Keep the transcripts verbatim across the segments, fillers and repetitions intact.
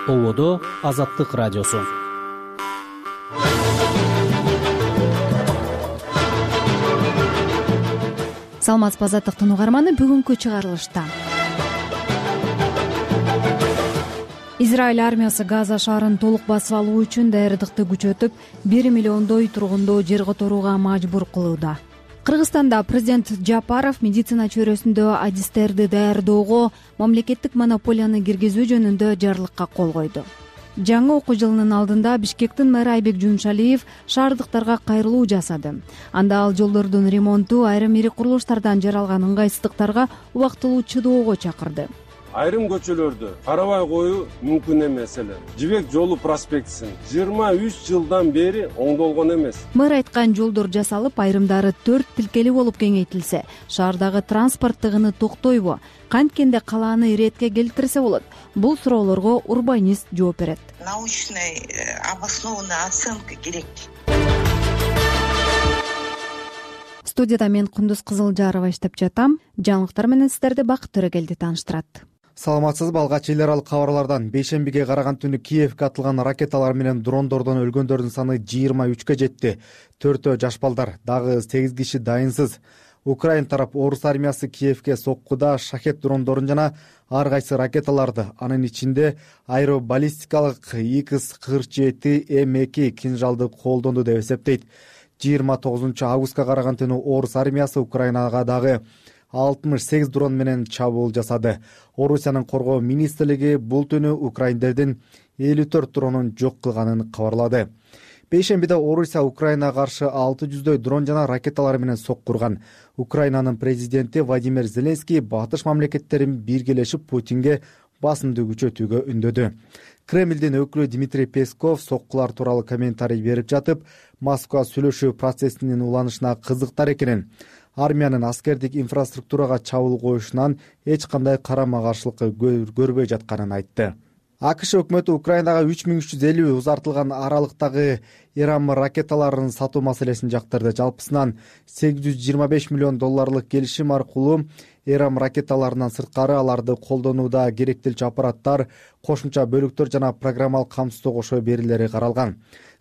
Ободо Азаттык радиосу. Саламатсызбы Азаттыктын угарманы, бүгүнкү чыгарылышта Израиль армиясы Газа шаарын толук басып алуу үчүн даярдыкты күчөтүп, бир миллиондой тургунду жер которууга мажбур кылууда. Кыргызстанда президент Жапаров медицина чөйрөсүндө адистерди даярдоого мамлекеттик монополияны киргизүү жөнүндө жарлыкка кол койду. Жаңы окуу жылынын алдында Бишкектин мэрі Айбек Жумшалиев шаардыктарга кайрылуу жасады. Анда ал жолдордун ремонту, айрым ири курулуштардан жаралган ыңгайсыздыктарга убактылуу чыдоого чакырды. Айрым көчөлөрдү карабай коюу мүмкүн эмес эле. Жибек жолу проспектисин жыйырма үч жылдан бери оңдолгон эмес. Мэр айткан жолдор жасалып, айрымдары төрт тилкели болуп кеңейтилсе, шаардагы транспорт тыгыны токтойбу? Канткенде калааны иретке келтирсе болот? Бул суроолорго урбанист жооп берет. Научный обоснованная оценка керек. Студияда мен Кундуз Кызылжарова иштеп жатам. Жаңылыктар менен сиздерди Бакыт Төрөгелди тааныштырат. Саламатсызбы? Алгач эл аралык кабарлардан бейшембиге караган түнү Киевге атылган ракеталар менен дрондордон өлгөндөрдүн саны жыйырма үчкө жетти. Төртөө жаш балдар, дагы сегиз киши дайынсыз. Украин тарап орус армиясы Киевге соккуда шахет дрондорун жана ар кайсы ракеталарды, анын ичинде аэробаллистикалык Икс кырк жети М эки кинжалды колдонду деп эсептейт. жыйырма тогузунчу августка караган түнү орус армиясы Украинага дагы алтымыш сегиз дрон менен чабуул жасады. Орусиянын коргоо министрлиги бул түнү украиндердин элүү төрт дронун жок кылганын кабарлады. Бейшембиде Орусия Украинага каршы алты жүздөй дрон жана ракеталар менен соккурган. Украинанын президенти Владимир Зеленский батыш мамлекеттерин биргелешип Путинге басымды күчөтүүгө үндөдү. Кремлдин өкүлү Дмитрий Песков соккулар тууралуу комментарий берип жатып, Москва сүйлөшүү процессинин уланышына кызыктар экенин, армиянын аскердик инфраструктурага чабуул коюшунан эч кандай карама-каршылык көрбөй жатканын айтты. АКШ өкмөтү Украинага үч миң үч жүз элүү узартылган аралыктагы Иран ракеталарын сатуу маселесин жактырды. Жалпысынан сегиз жүз жыйырма беш миллион долларлык келишим аркылуу Иран ракеталарынан сырткары аларды колдонууда керектелчү аппараттар, кошумча бөлүктөр жана программалык камсыздоо кошо берилери каралган.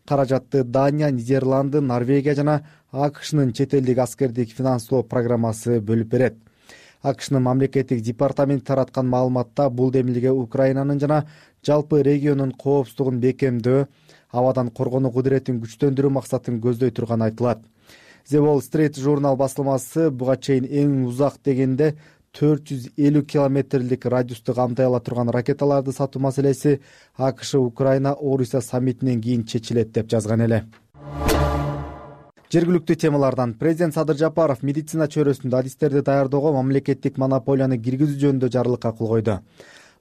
Каражатты Дания, Нидерланды, Норвегия жана АКШнын чет элдик аскердик финанстоо программасы бөлүп берет. АКШнын мамлекеттик департаменти тараткан маалыматта бул демилге Украинанын жана жалпы региондун коопсуздугун бекемдөө, абадан коргонуу кудуретин күчтөндүрүү максатын көздөй турганы айтылат. The Wall Street журнал басылмасы буга чейин эң узак дегенде төрт жүз элүү километрлик радиусту камтай ала турган ракеталарды сатуу маселеси АКШ Украина Орусия саммитинен кийин чечилет деп жазган эле. Жергиликтүү темалардан президент Садыр Жапаров медицина чөйрөсүндө адистерди даярдоого мамлекеттик монополияны киргизүү жөнүндө жарлыкка кол койду.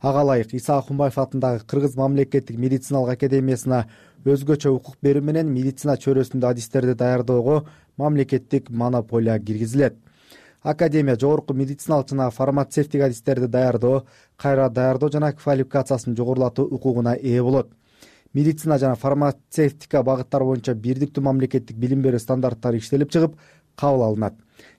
Ага ылайык Иса Акунбаев атындагы Кыргыз мамлекеттик медициналык академиясына өзгөчө укук берүү менен медицина чөйрөсүндө адистерди даярдоого мамлекеттик монополия киргизилет. Академия жогорку медициналык жана фармацевтик адистерди даярдоо, кайра даярдоо жана квалификациясын жогорулатуу укугуна ээ болот. Медицина жана фармацевтика багыттары боюнча бирдиктүү мамлекеттик билим берүү стандарттары иштелип чыгып, кабыл алынат.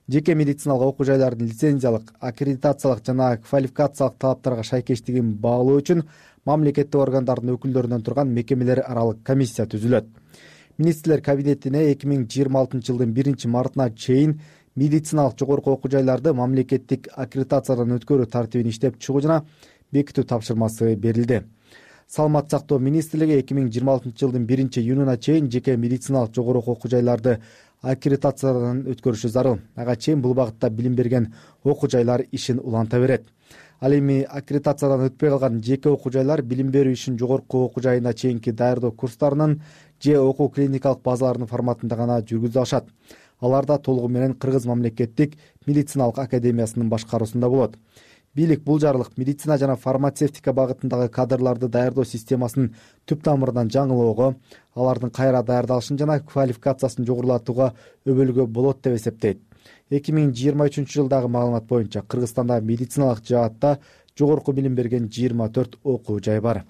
Жеке медициналык окуу жайлардын лицензиялык, аккредитациялык жана квалификациялык талаптарга шайкештигин баалоо үчүн мамлекеттик органдардын өкүлдөрүнөн турган мекемелер аралык комиссия түзүлөт. Министрлер кабинетине эки миң жыйырма алтынчы жылдын биринчи мартына чейин медициналык жогорку окуу жайларды мамлекеттик аккредитациядан өткөрүү тартибин иштеп чыгуу жана бекитүү тапшырмасы берилди. Саламат сактоо министрлиги эки миң жыйырма алтынчы жылдын биринчи июнуна чейин жеке медициналык жогорку окуу жайларды аккредитациядан өткөрүшү зарыл. Ага чейин бул багытта билим берген окуу жайлар ишин уланта берет. Ал эми аккредитациядан өтпөй калган жеке окуу жайлар билим берүү ишин жогорку окуу жайына чейинки даярдоо курстарынын же окуу клиникалык базаларынын форматында гана жүргүзө алышат. Алар да толугу менен Кыргыз мамлекеттик медициналык академиясынын башкаруусунда болот. Бийлик бул жарлык медицина жана фармацевтика багытындагы кадрларды даярдоо системасын түп тамырынан жаңылоого, алардын кайра даярдалышын жана квалификациясын жогорулатууга өбөлгө болот деп эсептейт. эки миң жыйырма үчүнчү жылдагы маалымат боюнча Кыргызстанда медициналык жаатта жогорку билим берген жыйырма төрт окуу жай бар.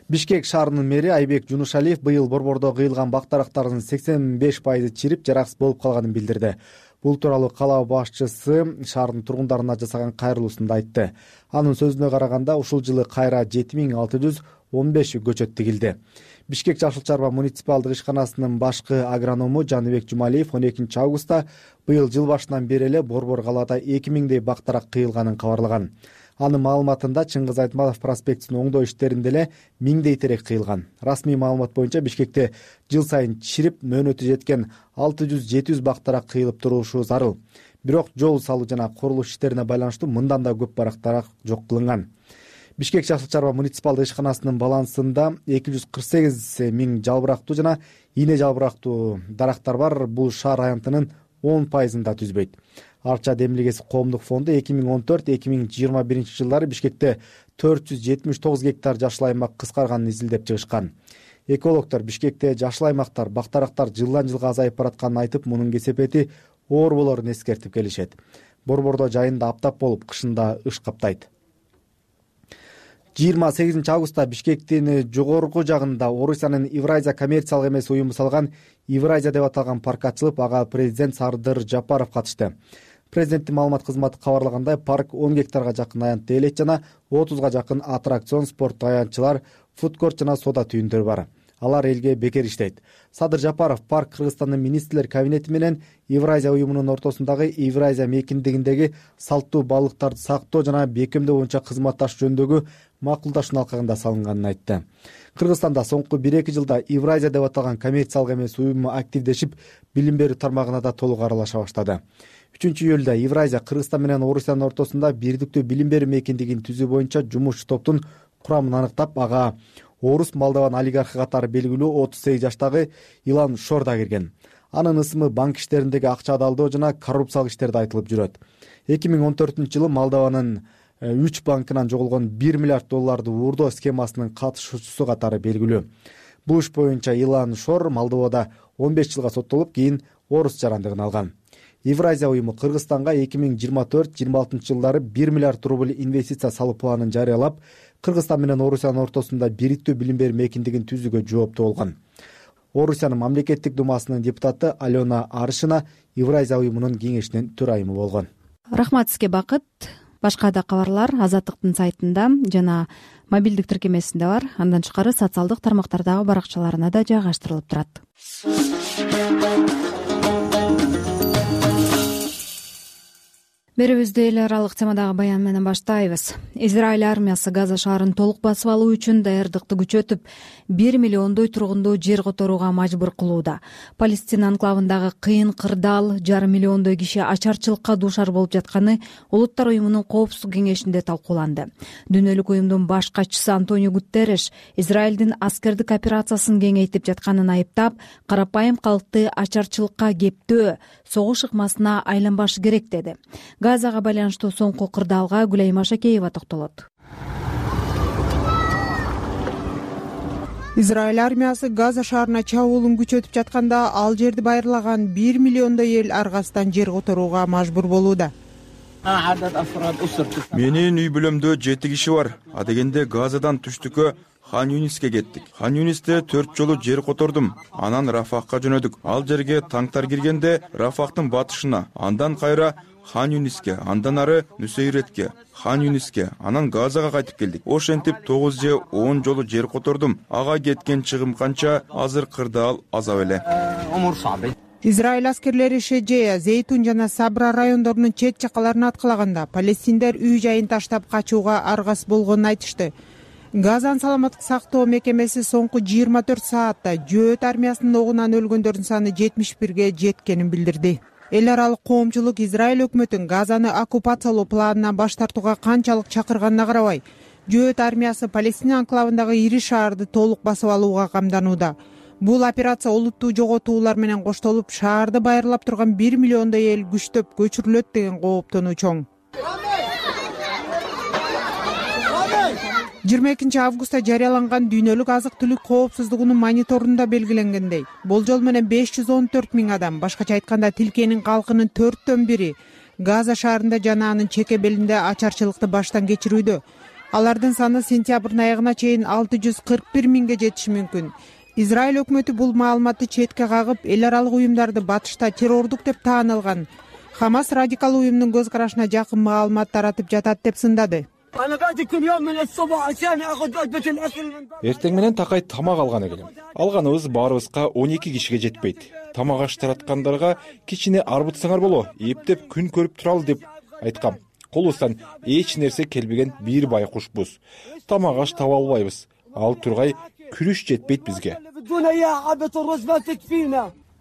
Бишкек шаарынын мэри Айбек Жунушалиев быйыл борбордо кыйылган бак дарактарынын сексен беш пайызы чирип, жараксыз болуп калганын билдирди. Бул тууралуу кала башчысы шаардын тургундарына жасаган кайрылуусунда айтты. Анын сөзүнө караганда ушул жылы кайра жети миң алты жүз он беш көчөт тигилди. Бишкек Жашыл Чарба муниципалдык ишканасынын башкы агроному Жаныбек Жумалиев он экинчи августта быйыл жыл башынан бери эле Борбор калаада эки миңдей бактарак кыйылганын кабарлаган. Анын маалыматында Чыңгыз Айтматов проспектисин оңдоо иштеринде эле миңдей терек кыйылган. Расмий маалымат боюнча Бишкекте жыл сайын чирип мөөнөтү жеткен алты жүз жети жүз бактарак кыйылып турушу зарыл. Бирок жол салуу жана курулуш иштерине байланыштуу мындан да көп бактарак жок кылынган. Бишкек Жашыл Чарба муниципалдык ишканасынын балансында эки жүз кырк сегиз миң жалбырактуу жана ийне жалбырактуу дарактар бар. Бул шаар аянтынын он пайызын да түзбөйт. Арча демилгеси коомдук фонду эки миң он төрт эки миң жыйырма биринчи жылдары Бишкекте төрт жүз жетимиш тогуз гектар жашыл аймак кыскарганын изилдеп чыгышкан. Экологдор Бишкекте жашыл аймактар, бактарактар жылдан жылга азайып баратканын айтып, мунун кесепети оор болорун эскертип келишет. Борбордо жайында аптап болуп, кышында ыш каптайт. жыйырма сегизинчи августта Бишкектин жогорку жагында Орусиянын Евразия коммерциялык эмес уюму салган Евразия деп аталган парк ачылып, ага президент Сардыр Жапаров катышты. Президенттин маалымат кызматы кабарлагандай, парк он гектарга жакын аянтты элек жана отузга жакын аттракцион, спорттук аянтчылар, фудкорт жана соода түйүндөр бар. Алар элге бекер иштейт. Садыр Жапаров парк Кыргызстандын министрлер кабинети менен Евразия уюмунун ортосундагы Евразия мекендигиндеги салттуу балыктарды сактоо жана бекемдөө боюнча кызматташуу жөнүндөгү макулдашуунун алкагында салынганын айтты. Кыргызстанда соңку бир эки жылда Евразия деп аталган коммерциялык эмес уюму активдешип, билим берүү тармагына да толук аралаша баштады. үчүнчү июлда Евразия Кыргызстан менен Орусиянын ортосунда бирдиктүү билим берүү мекендигин түзүү боюнча жумушчу топтун курамын аныктап, ага Орус Молдован олигархы катары белгилүү отуз сегиз жаштагы Илан Шор да кирген. Анын ысымы банк иштериндеги акча адалдоо жана коррупциялык иштерде айтылып жүрөт. эки миң он төртүнчү жылы Молдованын үч банкынан жоголгон бир миллиард долларды уурдоо схемасынын катышуучусу катары белгилүү. Бул иш боюнча Илан Шор Молдовада он беш жылга соттолуп, кийин орус жарандыгын алган. Евразия уюму Кыргызстанга эки миң жыйырма төрт жыйырма алтынчы жылдары бир миллиард рубль инвестиция салуу планын жарыялап, Кыргызстан менен Орусиянын ортосунда бириктүү билим берүү мекендигин түзүүгө жооптуу болгон. Орусиянын мамлекеттик думасынын депутаты Алена Аршина Евразия уюмунун кеңешинин төрайымы болгон. Рахмат сизге, Бакыт. Башка да кабарлар Азаттыктын сайтында жана мобилдик тиркемесинде бар. Андан тышкары социалдык тармактардагы баракчаларына да жайгаштырылып турат. Берүүбүздү эл аралык темадагы баян менен баштайбыз. Израиль армиясы Газа шаарын толук басып алуу үчүн даярдыкты күчөтүп, бир миллиондой тургунду жер которууга мажбур кылууда. Палестина анклавындагы кыйын кырдаал, жарым миллиондой киши ачарчылыкка дуушар болуп жатканы Улуттар уюмунун коопсуздук кеңешинде талкууланды. Дүйнөлүк уюмдун баш катчысы Антонио Гутерреш Израилдин аскердик операциясын кеңейтип жатканын айыптап, карапайым калкты ачарчылыкка кептөө, согуш ыкмасына айланбашы керек деди. Газага байланыштуу соңку кырдаалга Гүлайма Шакеева токтолот. Израиль армиясы Газа шаарына чабуулун күчөтүп жатканда, ал жерди байырлаган бир миллиондой эл аргасынан жер которууга мажбур болууда. Менин үй бүлөмдө жети киши бар. А дегенде Газадан түштүккө Хан Юниске кеттик. Хан Юнисте төрт жолу жер котордум. Анан Рафахка жөнөдүк. Ал жерге танктар киргенде Рафахтын батышына, андан кайра Хан Юниске, андан ары Нусейретке, Хан Юниске, анан Газага кайтып келдик. Ошентип тогуз же он жолу жер котордум. Ага кеткен чыгым канча, азыр кырдаал азап эле. Израиль аскерлери Шеджея, Зейтун жана Сабра райондорунун чет жакаларын аткалаганда, палестиндер үй жайын таштап качууга аргас болгонун айтышты. Газанын саламаттык сактоо мекемеси соңку жыйырма төрт саатта Жөөт армиясынын огунан өлгөндөрдүн саны жетимиш бирге жеткенин билдирди. Эл аралык коомчулук Израиль өкмөтүн Газаны оккупациялоо планынан баш тартууга канчалык чакырганына карабай, Жөөт армиясы Палестина анклавындагы ири шаарды толук басып алууга камданууда. Бул операция олуттуу жоготуулар менен коштолуп, шаарды байырлап турган бир миллиондой эл күчтөп көчүрүлөт деген кооптонуу чоң. жыйырма экинчи августта жарыяланган дүйнөлүк азык-түлүк коопсуздугунун мониторунда белгиленгендей, болжол менен беш жүз он төрт миң адам, башкача айтканда тилкенин калкынын төрттөн бири Газа шаарында жана анын чеке белинде ачарчылыкты баштан кечирүүдө. Алардын саны сентябрдын аягына чейин алты жүз кырк бир миңге жетиши мүмкүн. Израиль өкмөтү бул маалыматты четке кагып, эл аралык уюмдарды батышта террордук деп таанылган Хамас радикал уюмдун көз карашына жакын маалымат таратып жатат деп сындады. Эртең менен такай тамак алганы келем. Алганыбыз баарыбызга он эки кишиге жетпейт. Тамак аш тараткандарга кичине арбытсаңар боло, эптеп күн көрүп туралы деп айткам. Колубуздан эч нерсе келбеген бир байкушбуз. Тамак аш таба албайбыз. Ал тургай күрүш жетпейт бизге.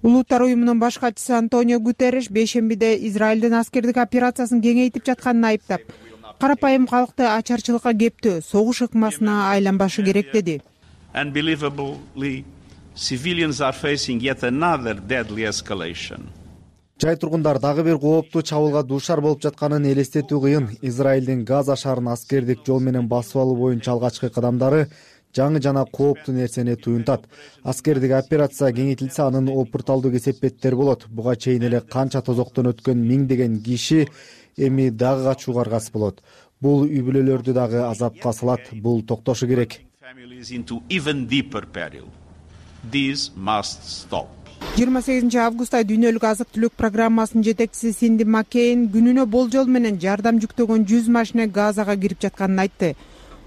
Улуттар уюмунун баш катчысы Антонио Гутерриш бейшембиде Израилдин аскердик операциясын кеңейтип жатканын айыптап, карапайым калкты ачарчылыкка кептөө, согуш ыкмасына айланбашы керек деди. Unbelievably, civilians are facing yet another deadly escalation. Жай тургундар дагы бир кооптуу чабуулга дуушар болуп жатканын элестетүү кыйын. Израилдин Газа шаарын аскердик жол менен басып алуу боюнча алгачкы кадамдары жаңы жана кооптуу нерсени туюнтат. Аскердик операция кеңейтилсе, анын опурталдуу кесепеттери болот. Буга чейин эле канча тозоктон өткөн миңдеген киши эми дагы качууга аргасыз болот. Бул үй бүлөлөрдү дагы азапка салат. Бул токтошу керек. жыйырма сегизинчи августта дүйнөлүк азык түлүк программасынын жетекчиси Синди Маккейн күнүнө болжол менен жардам жүктөгөн жүз машина Газага кирип жатканын айтты.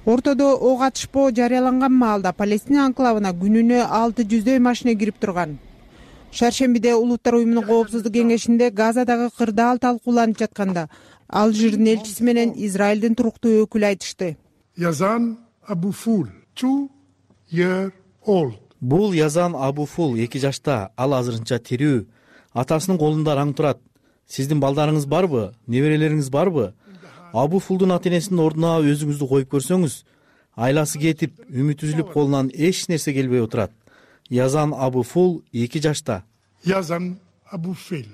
Ортодо ок атышпоо жарыяланган маалда Палестина анклавына күнүнө алты жүздөй машина кирип турган. Шаршембиде Улуттар уюмунун коопсуздук кеңешинде Газадагы кырдаал талкууланып жатканда Алжирдин элчиси менен Израилдин туруктуу өкүлү айтышты. Yazan Abu Ful, two year old. Бул Язан Абуфул эки жашта, ал азырынча тирүү. Атасынын колунда аң турат. Сиздин балдарыңыз барбы? Неберелериңиз барбы? Абуфулдун ата-энесинин ордуна өзүңүздү коюп көрсөңүз, айласы кетип, үмүт үзүлүп колунан эч нерсе келбей отурат. Язан Абуфул эки жашта. Yazan Abu Fil,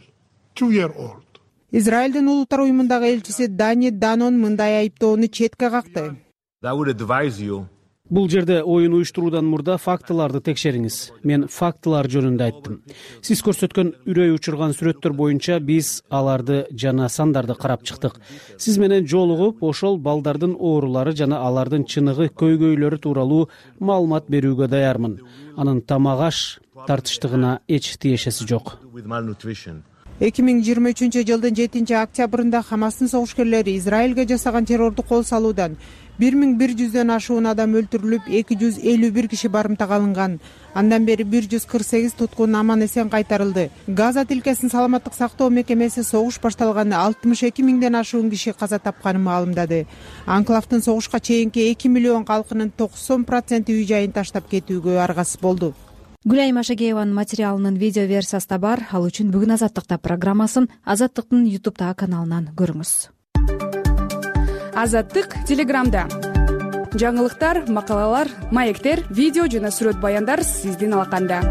two year old. Израилдин улуттар уюмундагы элчиси Дани Данон мындай айыптоону четке какты. Бул жерде оюн уюштуруудан мурда фактыларды текшериңиз. Мен фактылар жөнүндө айттым. Сиз көрсөткөн үрөй учурган сүрөттөр боюнча биз аларды жана сандарды карап чыктык. Сиз менен жолугуп, ошол балдардын оорулары жана алардын чыныгы көйгөйлөрү тууралуу маалымат берүүгө даярмын. Анын тамак аш тартыштыгына эч тиешеси жок. эки миң жыйырма үчүнчү жылдын жетинчи октябрында Хамастын согушкерлери Израилге жасаган террорду кол салуудан бир миң бир жүздөн ашуун адам өлтүрүлүп, эки жүз элүү бир киши барымтак алынган. Андан бери бир жүз кырк сегиз туткун аман эсен кайтарылды. Газа тилкесинин саламаттык сактоо мекемеси согуш башталганда алтымыш эки миңден ашуун киши каза тапканын маалымдады. Анклавдын согушка чейинки эки миллион калкынын токсон проценти үй жайын таштап кетүүгө аргасыз болду. Гүлайым Ашагееванын материалынын видео версиясы да бар. Ал үчүн бүгүн Азаттыкта программасын Азаттыктын YouTube каналынан көрүңүз. Азаттык Телеграмда. Жаңылыктар, макалалар, маектер, видео жана сүрөт баяндар сиздин алаканда.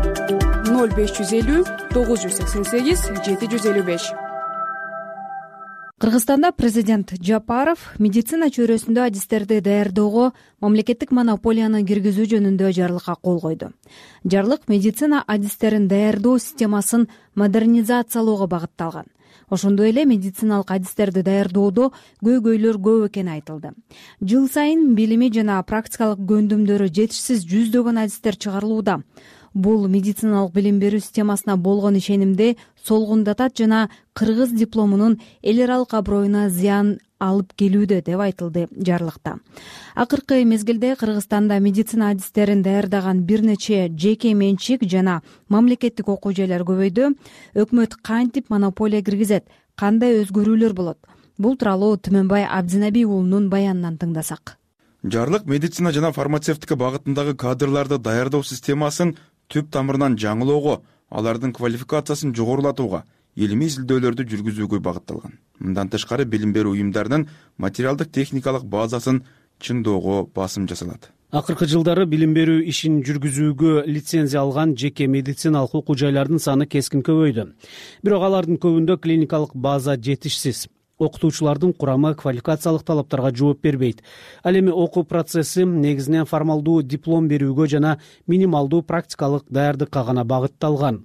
ноль беш жүз элүү тогуз жүз сексен сегиз жети жүз элүү беш. Кыргызстанда президент Жапаров медицина чөйрөсүндө адистерди даярдоого мамлекеттик монополияны киргизүү жөнүндө жарлыкка кол койду. Жарлык медицина адистерин даярдоо системасын модернизациялоого багытталган. Ошондой эле медициналык адистерди даярдоодо көйгөйлөр көп экени айтылды. Жыл сайын билими жана практикалык көндүмдөрү жетишсиз жүздөгөн адистер чыгарылууда. Бул медициналык билим берүү системасына болгон ишенимди солгундатат жана кыргыз дипломунун эл аралык аброюна зыян алып келүүдө деп айтылды жарлыкта. Акыркы мезгилде Кыргызстанда медицина адистерин даярдаган бир нече жеке менчик жана мамлекеттик окуу жайлар көбөйдү. Өкмөт кантип монополия киргизет, кандай өзгөрүүлөр болот? Бул тууралуу Түмөнбай Абдинаби уулунун баянынан тыңдасак. Жарлык медицина жана фармацевтика багытындагы кадрларды даярдоо системасын түп тамырынан жаңылоого, алардын квалификациясын жогорулатууга, илимий изилдөөлөрдү жүргүзүүгө багытталган. Мындан тышкары билим берүү уюмдарынын материалдык техникалык базасын чыңдоого басым жасалат. Акыркы жылдары билим берүү ишин жүргүзүүгө лицензия алган жеке медициналык окуу жайлардын саны кескин көбөйдү. Бирок алардын көбүндө клиникалык база жетишсиз. Окутуучулардын курамы квалификациялык талаптарга жооп бербейт. Ал эми окуу процесси негизинен формалдуу диплом берүүгө жана минималдуу практикалык даярдыкка гана багытталган.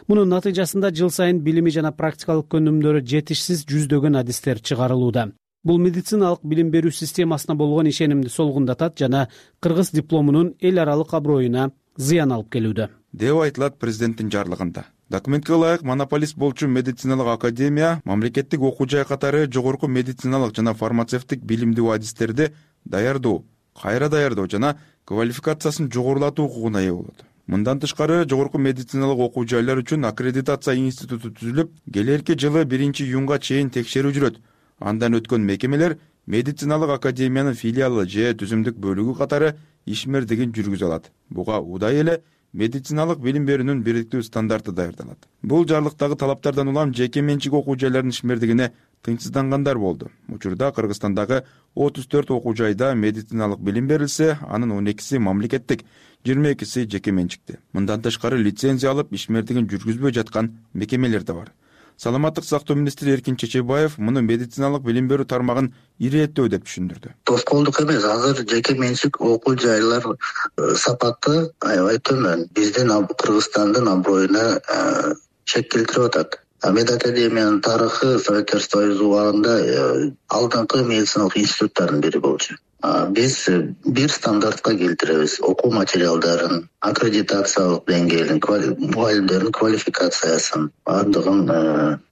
Мунун натыйжасында жыл сайын билими жана практикалык көндүмдөрү жетишсиз жүздөгөн адистер чыгарылууда. Бул медициналык билим берүү системасына болгон ишенимди солгундатат жана кыргыз дипломунун эл аралык аброюна зыян алып келүүдө, деп айтылат президенттин жарлыгында. Документке ылайык монополист болчу медициналык академия мамлекеттик окуу жай катары жогорку медициналык жана фармацевтик билимдүү адистерди даярдоо, кайра даярдоо жана квалификациясын жогорулатуу укугуна ээ болот. Мындан тышкары жогорку медициналык окуу жайлар үчүн аккредитация институту түзүлүп, келерки жылы биринчи июнга чейин текшерүү жүрөт. Андан өткөн мекемелер медициналык академиянын филиалы же түзүмдүк бөлүгү катары ишмердигин жүргүзө алат. Буга удай эле медициналык билим берүүнүн бириктүү стандарты даярдалат. Бул жарлыктагы талаптардан улам жеке менчик окуу жайлардын ишмердигине тынчсыздангандар болду. Учурда Кыргызстандагы отуз төрт окуу жайда медициналык билим берилсе, анын он экиси мамлекеттик, жыйырма экиси жеке менчикти. Мындан тышкары лицензия алып ишмердигин жүргүзбөй жаткан мекемелер да бар. Саламаттык сактоо министри Эркин Чечебаев муну медициналык билим берүү тармагын ирээттөө деп түшүндүрдү. Тоскоолдук эмес, азыр жеке менчик окуу жайлар сапаты аябай төмөн. Биздин Кыргызстандын аброюна чек келтирип атат. Медакадемиянын тарыхы Советтер Союзу убагында алдыңкы медициналык институттардын бири болчу. Биз бир стандартка келтиребиз. Окуу материалдарын, аккредитациялык деңгээлин, мугалимдердин квалификациясын бардыгын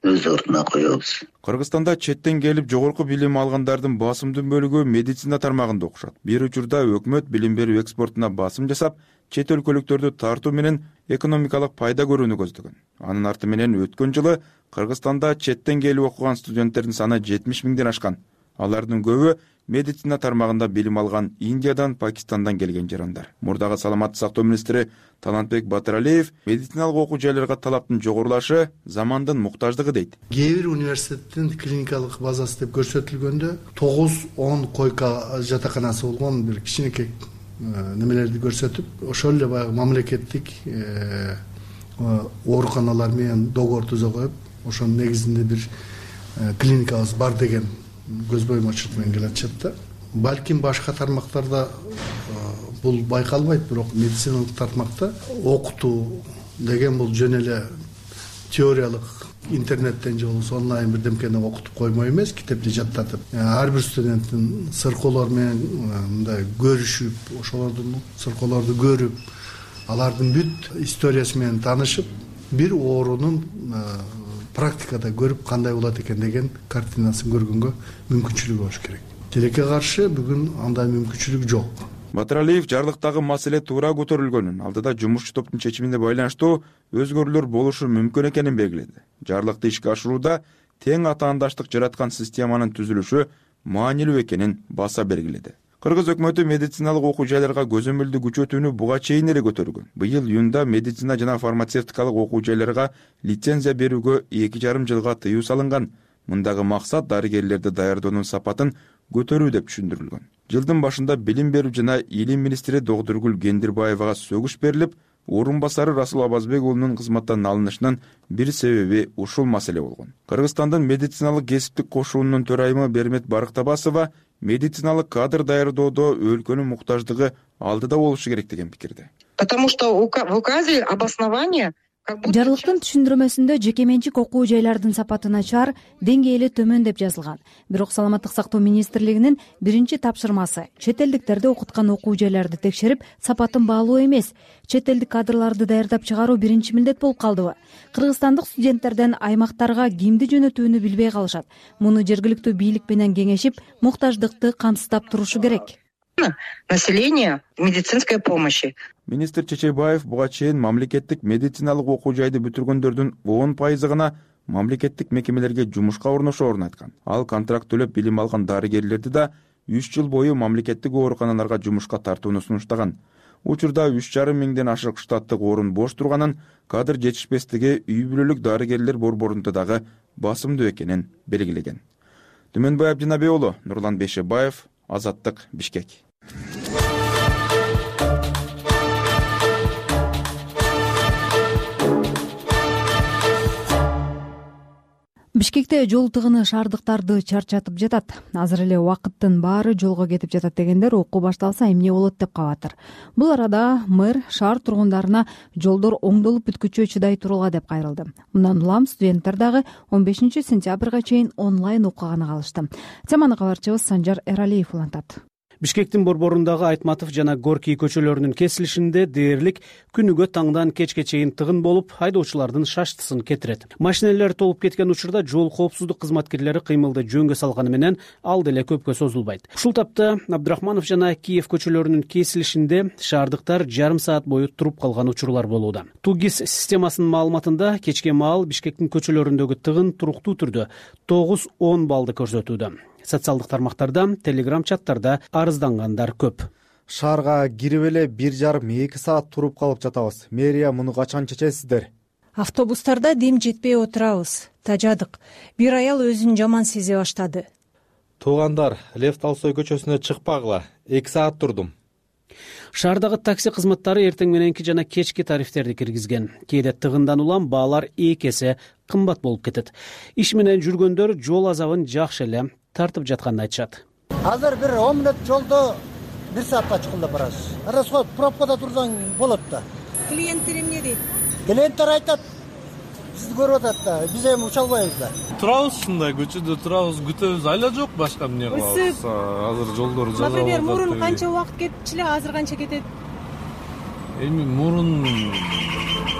өз ордуна коебуз. Кыргызстанда четтен келип жогорку билим алгандардын басымдуу бөлүгү медицина тармагында окушат. Бир учурда өкмөт билим берүү экспортуна басым жасап, чет өлкөлүктөрдү тартуу менен экономикалык пайда көрүүнү көздөгөн. Анын арты менен өткөн жылы Кыргызстанда четтен келип окуган студенттердин саны жетимиш миңден ашкан. Алардын көбү медицина тармагында билим алган Индиядан, Пакистандан келген жарандар. Мурдагы саламаттык сактоо министри Талантбек Батыралиев медициналык окуу жайларга талаптын жогорулашы замандын муктаждыгы дейт. Кээ бир университеттин клиникалык базасы деп көрсөтүлгөндө тогуз он койка жатаканасы болгон бир кичинекей немелерди көрсөтүп, ошол эле баягы мамлекеттик ооруканалар менен договор түзө коюп, ошонун негизинде бир клиникабыз бар деген көз боюмачылык менен келатышат да. Балким башка тармактарда бул байкалбайт, бирок медициналык тармакта окутуу деген бул жөн эле теориялык интернеттен же болбосо онлайн бирдемкени окутуп коймой эмес, китепти жаттатып, ар бир студенттин сыркоолор менен мындай көрүшүп, ошолордун сыркоолорду көрүп, алардын бүт историясы менен таанышып, бир оорунун практикада көрүп кандай болот экен деген картинасын көргөнгө мүмкүнчүлүгү болуш керек. Тилекке каршы бүгүн андай мүмкүнчүлүк жок. Батыралиев жарлыктагы маселе туура көтөрүлгөнүн, алдыда жумушчу топтун чечимине байланыштуу өзгөрүүлөр болушу мүмкүн экенин белгиледи. Жарлыкты ишке ашырууда тең атаандаштык жараткан системанын түзүлүшү маанилүү экенин баса белгиледи. Кыргыз өкмөтү медициналык окуу жайларга көзөмөлдү күчөтүүнү буга чейин эле көтөргөн. Быйыл июнда медицина жана фармацевтикалык окуу жайларга лицензия берүүгө эки жарым жылга тыюу салынган. Мындагы максат дарыгерлерди даярдоонун сапатын көтөрүү деп түшүндүрүлгөн. Жылдын башында билим берүү жана илим министри Догдургүл Кендирбаевага сөгүш берилип, орун басары Расул Абазбек уулунун кызматтан алынышынын бир себеби ушул маселе болгон. Кыргызстандын медициналык кесиптик кошуунунун төрайымы Бермет Барктабасова медициналык кадр даярдоодо өлкөнүн муктаждыгы алдыда болушу керек деген пикирде. Потому что в указе обоснование Жарлыктын түшүндүрмөсүндө жеке менчик окуу жайлардын сапаты начар, деңгээли төмөн деп жазылган. Бирок Саламаттык сактоо министрлигинин биринчи тапшырмасы чет элдиктерди окуткан окуу жайларды текшерип, сапатын баалоо эмес, чет элдик кадрларды даярдап чыгаруу биринчи милдет болуп калдыбы? Кыргызстандык студенттерден аймактарга кимди жөнөтүүнү билбей калышат. Муну жергиликтүү бийлик менен кеңешип, муктаждыкты камсыздап турушу керек. Население медицинской помощи. Министр Чечебаев буга чейин мамлекеттик медициналык окуу жайды бүтүргөндөрдүн он пайызы гана мамлекеттик мекемелерге жумушка орношоорун айткан. Ал контракт төлөп билим алган дарыгерлерди да үч жыл бою мамлекеттик ооруканаларга жумушка тартууну сунуштаган. Учурда үч жарым миңден ашык штаттык орун бош турганын, кадр жетишпестиги үй бүлөлүк дарыгерлер борборунда дагы басымдуу экенин белгилеген. Түмөнбай Абдинабек уулу, Нурлан Бейшебаев, Азаттык, Бишкек. Бишкекте жол тыгыны шаардыктарды чарчатып жатат. Азыр эле убакыттын баары жолго кетип жатат дегендер окуу башталса эмне болот деп кабатыр. Бул арада мэр шаар тургундарына жолдор оңдолуп бүткүчө чыдай тургула деп кайрылды. Мындан улам студенттер дагы он бешинчи сентябрга чейин онлайн окуганы калышты. Теманы кабарчыбыз Санжар Эралиев улантат. Бишкектин борборундагы Айтматов жана Горький көчөлөрүнүн кесилишинде дээрлик күнүгө таңдан кечке чейин тыгын болуп, айдоочулардын шаштысын кетирет. Машинелер толуп кеткен учурда жол коопсуздук кызматкерлери кыймылды жөнгө салганы менен ал деле көпкө созулбайт. Ушул тапта Абдрахманов жана Киев көчөлөрүнүн кесилишинде шаардыктар жарым саат бою туруп калган учурлар болууда. Тугис системасынын маалыматында кечке маал Бишкектин көчөлөрүндөгү тыгын туруктуу түрдө тогуз он баллды көрсөтүүдө. Социалдык тармактарда, телеграм чаттарда арыздангандар көп. Шаарга кирип эле бир жарым эки саат туруп калып жатабыз. Мэрия муну качан чечесиздер? Автобустарда дем жетпей отурабыз. Тажадык. Бир аял өзүн жаман сезе баштады. Туугандар, Лев Толстой көчөсүнө чыкпагыла. эки саат турдум. Шаардагы такси кызматтары эртең мененки жана кечки тарифтерди киргизген. Кээде тыгындан улам баалар эки эсе кымбат болуп кетет. Иш менен жүргөндөр жол азабын жакшы эле тартып жатканын айтышат. Азыр бир он мүнөт жолдо бир саатка чыкканда барасыз. Расход пробкада турсаң болот да. Клиенттер эмне дейт? Клиенттер айтат, сизди көрүп атат да, биз эми уча албайбыз да. Турабыз ушундай көчөдө турабыз, күтөбүз, айла жок, башка эмне кылабыз. Азыр жолдор жаза. Например, мурун канча убакыт кетчү эле, азыр канча кетет? Эми мурун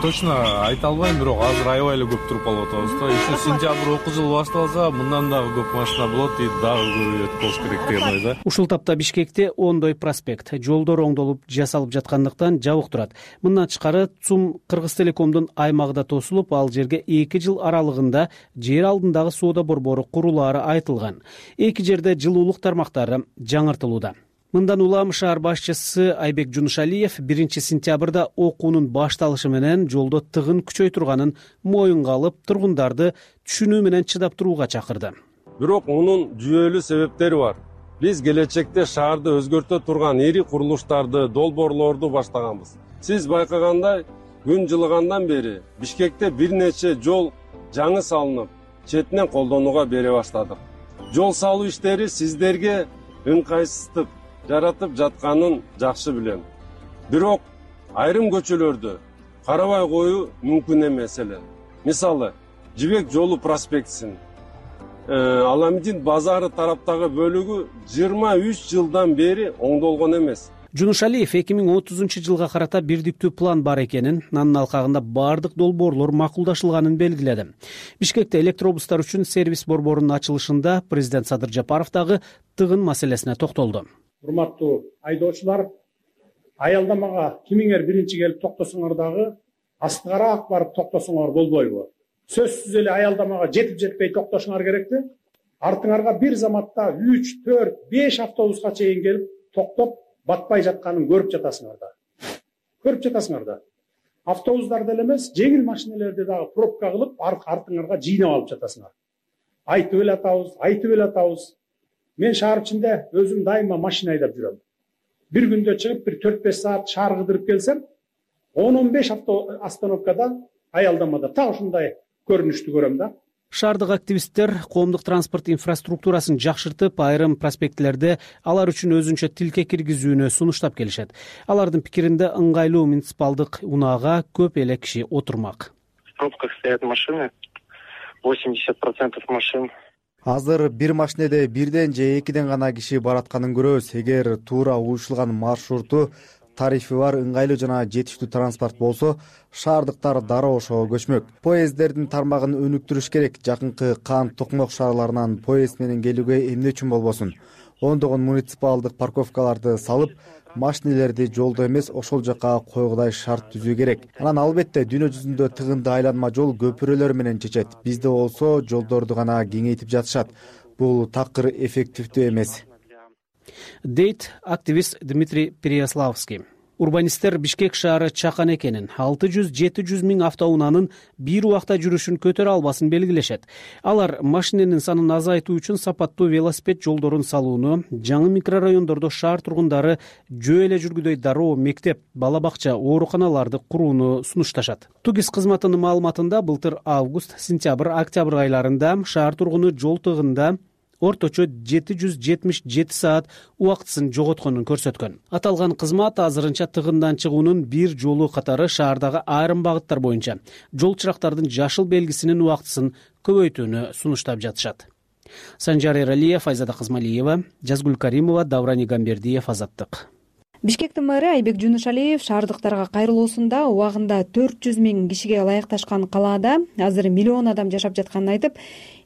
точно айта албайм, бирок азыр аябай эле көп туруп калып атабыз да. Еще сентябрь окуу жылы башталса, мындан дагы көп машина болот, и дагы көбөйөт болуш керек деген ой да. Ушул тапта Бишкекте Ондой проспект жолдор оңдолуп жасалып жаткандыктан жабык турат. Мындан тышкары ЦУМ Кыргызтелекомдун аймагы да тосулуп, ал жерге эки жыл аралыгында жер алдындагы соода борбору курулаары айтылган. Эки жерде жылуулук тармактары жаңыртылууда. Мындан улам шаар башчысы Айбек Жунушалиев биринчи сентябрда окуунун башталышы менен жолдо тыгын күчөй турганын моюнга алып, тургундарды түшүнүү менен чыдап турууга чакырды. Бирок мунун жүйөлүү себептери бар. Биз келечекте шаарды өзгөртө турган ири курулуштарды, долбоорлорду баштаганбыз. Сиз байкагандай, күн жылыгандан бери Бишкекте бир нече жол жаңы салынып, четинен колдонууга бере баштадык. Жол салуу иштери сиздерге ыңгайсыздык жаратып жатканын жакшы билем. Бирок айрым көчөлөрдү карабай коюу мүмкүн эмес эле. Мисалы, Жибек жолу проспектисин Аламидин базары тараптагы бөлүгү жыйырма үч жылдан бери оңдолгон эмес. Жунушалиев эки миң отузунчу жылга карата бирдиктүү план бар экенин, анын алкагында бардык долбоорлор макулдашылганын белгиледи. Бишкекте электробустар үчүн сервис борборунун ачылышында президент Садыр Жапаров дагы тыгын маселесине токтолду. Урматтуу айдоочулар, аялдамага кимиңер биринчи келип токтосоңор дагы астыгараак барып токтосоңор болбойбу? Сөзсүз эле аялдамага жетип жетпей токтошуңар керекпи? Артыңарга бир заматта үч, төрт, беш автобуска чейин келип токтоп батпай жатканын көрүп жатасыңар да. Көрүп жатасыңар да. Автобустарды эле эмес, жеңил машиналерди дагы пробка кылып, артыңарга жыйнап алып жатасыңар. Айтып эле атабыз, айтып эле атабыз. Мен шаар ичинде өзүм дайыма машина айдап жүрөм. Бир күндө чыгып, бир төрт беш саат шаар кыдырып келсем, он он беш остановкада аялдамада так ушундай көрүнүштү көрөм да. Шаардык активисттер коомдук транспорт инфраструктурасын жакшыртып, айрым проспектлерде алар үчүн өзүнчө тилке киргизүүнү сунуштап келишет. Алардын пикиринде ыңгайлуу муниципалдык унаага көп эле киши отурмак. В пробках стоят машины, восемьдесят процентов машин. Азыр бир машинеде бирден же экиден гана киши баратканын көрөбүз. Эгер туура уюшулган маршруту, тарифи бар, ыңгайлуу жана жетиштүү транспорт болсо, шаардыктар дароо ошого көчмөк. Поезддердин тармагын өнүктүрүш керек. Жакынкы Кан, Токмок шаарларынан поезд менен келүүгө эмне үчүн болбосун? Ондогон муниципалдык парковкаларды салып, машинелерди жолдо эмес, ошол жака койгудай шарт түзүү керек. Анан албетте дүйнө жүзүндө тыгынды айланма жол көпүрөлөр менен чечет. Бизде болсо жолдорду гана кеңейтип жатышат. Бул такыр эффективдүү эмес, дейт активист Дмитрий Переяславский. Урбанисттер Бишкек шаары чакан экенин, алты жүз жети жүз миң автоунаанын бир убакта жүрүшүн көтөрө албасын белгилешет. Алар машиненин санын азайтуу үчүн сапаттуу велосипед жолдорун салууну, жаңы микрорайондордо шаар тургундары жөө эле жүргүдөй дароо мектеп, бала бакча, ооруканаларды курууну сунушташат. Тугис кызматынын маалыматында былтыр август, сентябрь, октябрь айларында шаар тургуну жол тыгында орточо жети жүз жетимиш жети саат убактысын жоготконун көрсөткөн. Аталган кызмат азырынча тыгындан чыгуунун бир жолу катары шаардагы айрым багыттар боюнча жол чырактардын жашыл белгисинин убактысын көбөйтүүнү сунуштап жатышат. Санжар Эралиев, Айзада Кызмалиева, Жазгүл Каримова, Давран Игамбердиев, Азаттык. Бишкектин мэрі Айбек Жунушалиев шаардыктарга кайрылуусунда убагында төрт жүз миң кишиге ылайыкташкан калаада азыр миллион адам жашап жатканын айтып,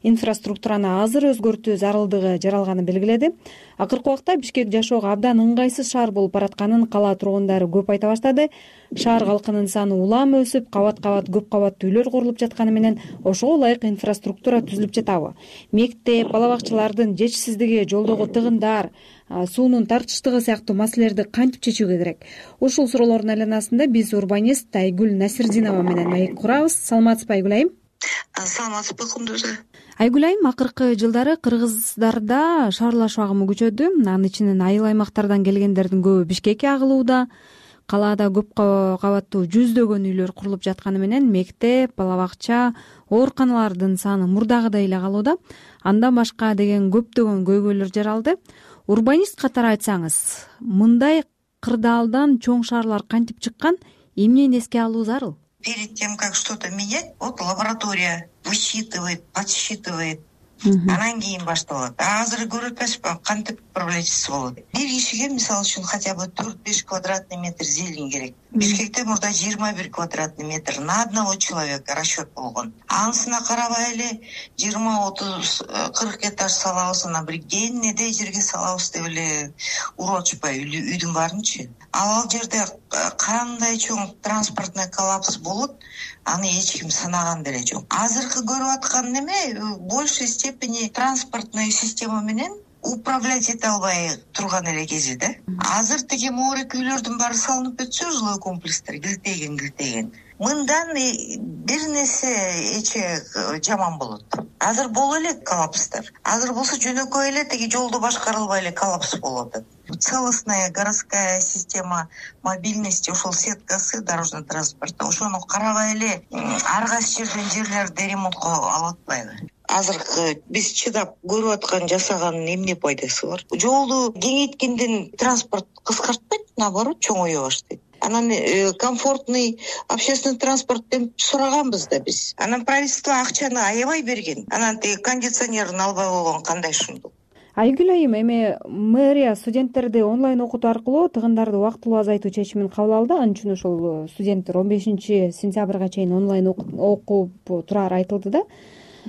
инфраструктураны азыр өзгөртүү зарылдыгы жаралганын белгиледи. Акыркы убакта Бишкек жашоого абдан ыңгайсыз шаар болуп баратканын кала тургундары көп айта баштады. Шаар калкынын саны улам өсүп, кабат-кабат көп кабаттуу үйлөр курулуп жатканы менен ошого ылайык инфраструктура түзүлүп жатабы? Мектеп, бала бакчалардын жетишсиздиги, жолдогу тыгындар, суунун тартыштыгы сыяктуу маселелерди кантип чечүүгө керек? Ушул суроолордун айланасында биз урбанист Айгүл Насирдинова менен маек курабыз. Саламатсызбы Айгүл айым? Саламатсызбы Кундуза. Айгүл айым, акыркы жылдары кыргыздарда шаарлашуу агымы күчөдү. Анын ичинен айыл аймактардан келгендердин көбү Бишкекке агылууда. Калаада көп кабаттуу жүздөгөн үйлөр курулуп жатканы менен мектеп, бала бакча, ооруканалардын саны мурдагыдай эле калууда. Андан башка деген көптөгөн көйгөйлөр жаралды. Урбанист катары айтсаңыз, мындай кырдаалдан чоң шаарлар кантип чыккан, эмнени эске алуу зарыл? Перед тем, как что-то менять, вот лаборатория высчитывает, подсчитывает, анан кийин башталат. Азыр көрүп атпайсызбы, кантип управляющийси болот. Бир кишиге, мисалы үчүн, хотя бы төрт-беш квадратный метр зелень керек. Бишкекте мурда жыйырма бир квадратный метр на одного человека расчет болгон. Анысына карабай эле жыйырма отуз кырк этаж салабыз, анан бир кенеде жерге салабыз деп эле уруп атышпайбы үйдүн баарынчы. Ал жерде кандай чоң транспортный коллапс болот, аны эч ким санаган деле жок. Азыркы көрүп аткан неме в большей степени транспортный система менен управлять эте албай турган эле кези да. Азыр тиги моорек үйлөрдүн баары салынып өтсө, жилой комплекстер килтеген килтеген. Мындан бир нерсе эче жаман болот. Азыр боло эле коллапстар. Азыр болсо жөнөкөй эле тиги жолду башкарылбай эле коллапс болуп атат. Целостная городская система мобильности, ошол сеткасы дорожного транспорта, ошону карабай эле ар кайсы жерден жерлерди ремонтко алып атпайбы? Азыркы биз чыдап көрүп аткан жасаганын эмне пайдасы бар? Жолду кеңейткенден транспорт кыскартпайт, наоборот чоңое баштайт. Анан э, комфортный общественный транспорт деп сураганбыз да биз. Анан правительство акчаны аябай берген. Анан тиги кондиционерин албай койгон кандай шумдук. Айгүл айым, эми мэрия студенттерди онлайн окутуу аркылуу тыгындарды убактылуу азайтуу чечимин кабыл алды. Анын үчүн ошол студенттер он бешинчи сентябрга чейин онлайн окуп турары айтылды да.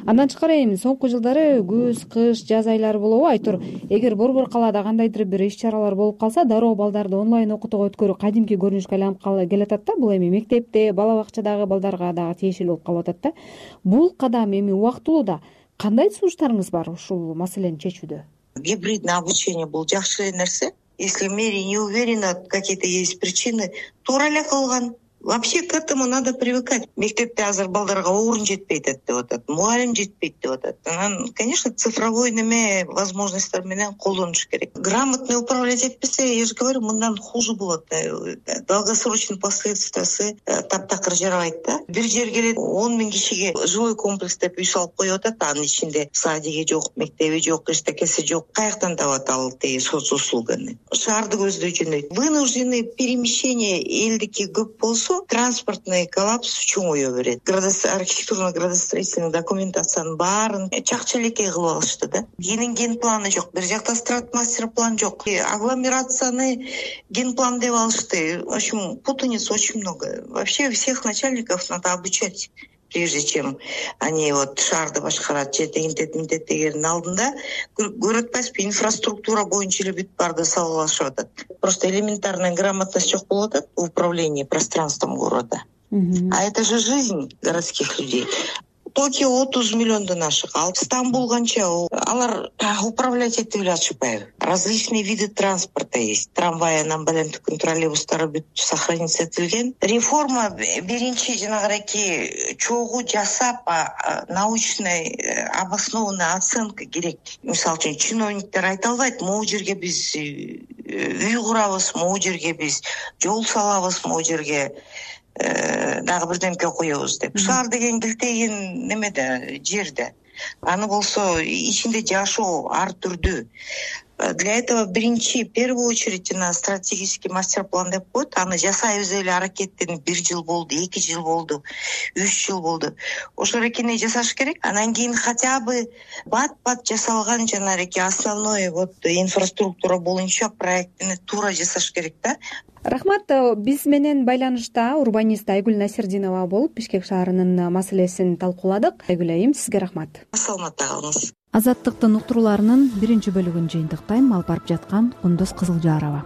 Андан тышкары эми соңку жылдары күз, кыш, жаз айлары болобу? Айтор, эгер борбор калаада кандайдыр бир иш-чаралар болуп калса, дароо балдарды онлайн окутууга өткөрүү кадимки көрүнүшкө айланып келатат да. Бул эми мектепте, бала бакчадагы балдарга дагы тиешелүү болуп калып атат да. Бул кадам эми убактылуу да. Кандай сунуштарыңыз бар ушул маселени чечүүдө? Гибридное обучение бул жакшы эле нерсе. Если мэрия не уверена, какие-то есть причины, туура эле кылган. Вообще к этому надо привыкать. Мектепте азыр балдарга орун жетпейт деп атат, мугалим жетпейт деп атат. Анан, конечно, цифровой неме возможностьтер менен колдонуш керек. Грамотно управлять этпесе, я же говорю, мындан хуже болот. Долгосрочный последствиясы таптакыр жарабайт да. Бир жерге эле он миң кишиге жилой комплекс деп үй салып коюп атат, анын ичинде садиги жок, мектеби жок, эчтекеси жок. Каяктан табат ал тиги соц услуганы? Шаарды көздөй жөнөйт. Вынужденное перемещение элдики көп болсо, транспортный коллапс чоңое берет. Архитектурно-градостроительный документациянын баарын чакчалекей кылып алышты да. Кенин ген планы жок, бир жакта стратмастер план жок. Агломерацияны ген план деп алышты. В общем, путаниц очень много. Вообще всех начальников надо обучать, прежде чем они вот шаарды башкарат, жетегинтет минтет дегенин алдында көрүп атпайсызбы, инфраструктура боюнча эле бүт барды салгылашып атат. Просто элементарная грамотность жок болуп атат в управлении пространством города. А это же жизнь городских людей. Токио отуз миллиондон ашык, ал Стамбул канча, алар управлять этип эле атышпайбы. Различные виды транспорта есть. Трамвайынан балентикин троллейбустары бүт сохраниться этилген. Реформа биринчи жанагыраки чогуу жасап, научный обоснованный оценка керек. Мисалы үчүн чиновниктер айта албайт, могу жерге биз үй курабыз, могу жерге биз жол салабыз, могу жерге дагы бирдемке коебуз деп. Шаар деген килтеген немеде, жерде. Аны болсо ичинде жашоо ар түрдүү. Для этого биринчи в первую очередь жана стратегический мастер план деп коет. Аны жасайбыз эле аракеттенип бир жыл болду, эки жыл болду, үч жыл болду. Ошол эрекени жасаш керек. Анан кийин хотя бы бат бат жасалган жанагы основной вот инфраструктура боюнча проектини туура жасаш керек да. Рахмат. Биз менен байланышта урбанист Айгүл Насирдинова болуп, Бишкек шаарынын маселесин талкууладык. Айгүл айым, сизге рахмат. Саламатта калыңыз. Азаттыктын уктурууларынын биринчи бөлүгүн жыйынтыктайм. Алып барып жаткан Кундуз Кызылжарова.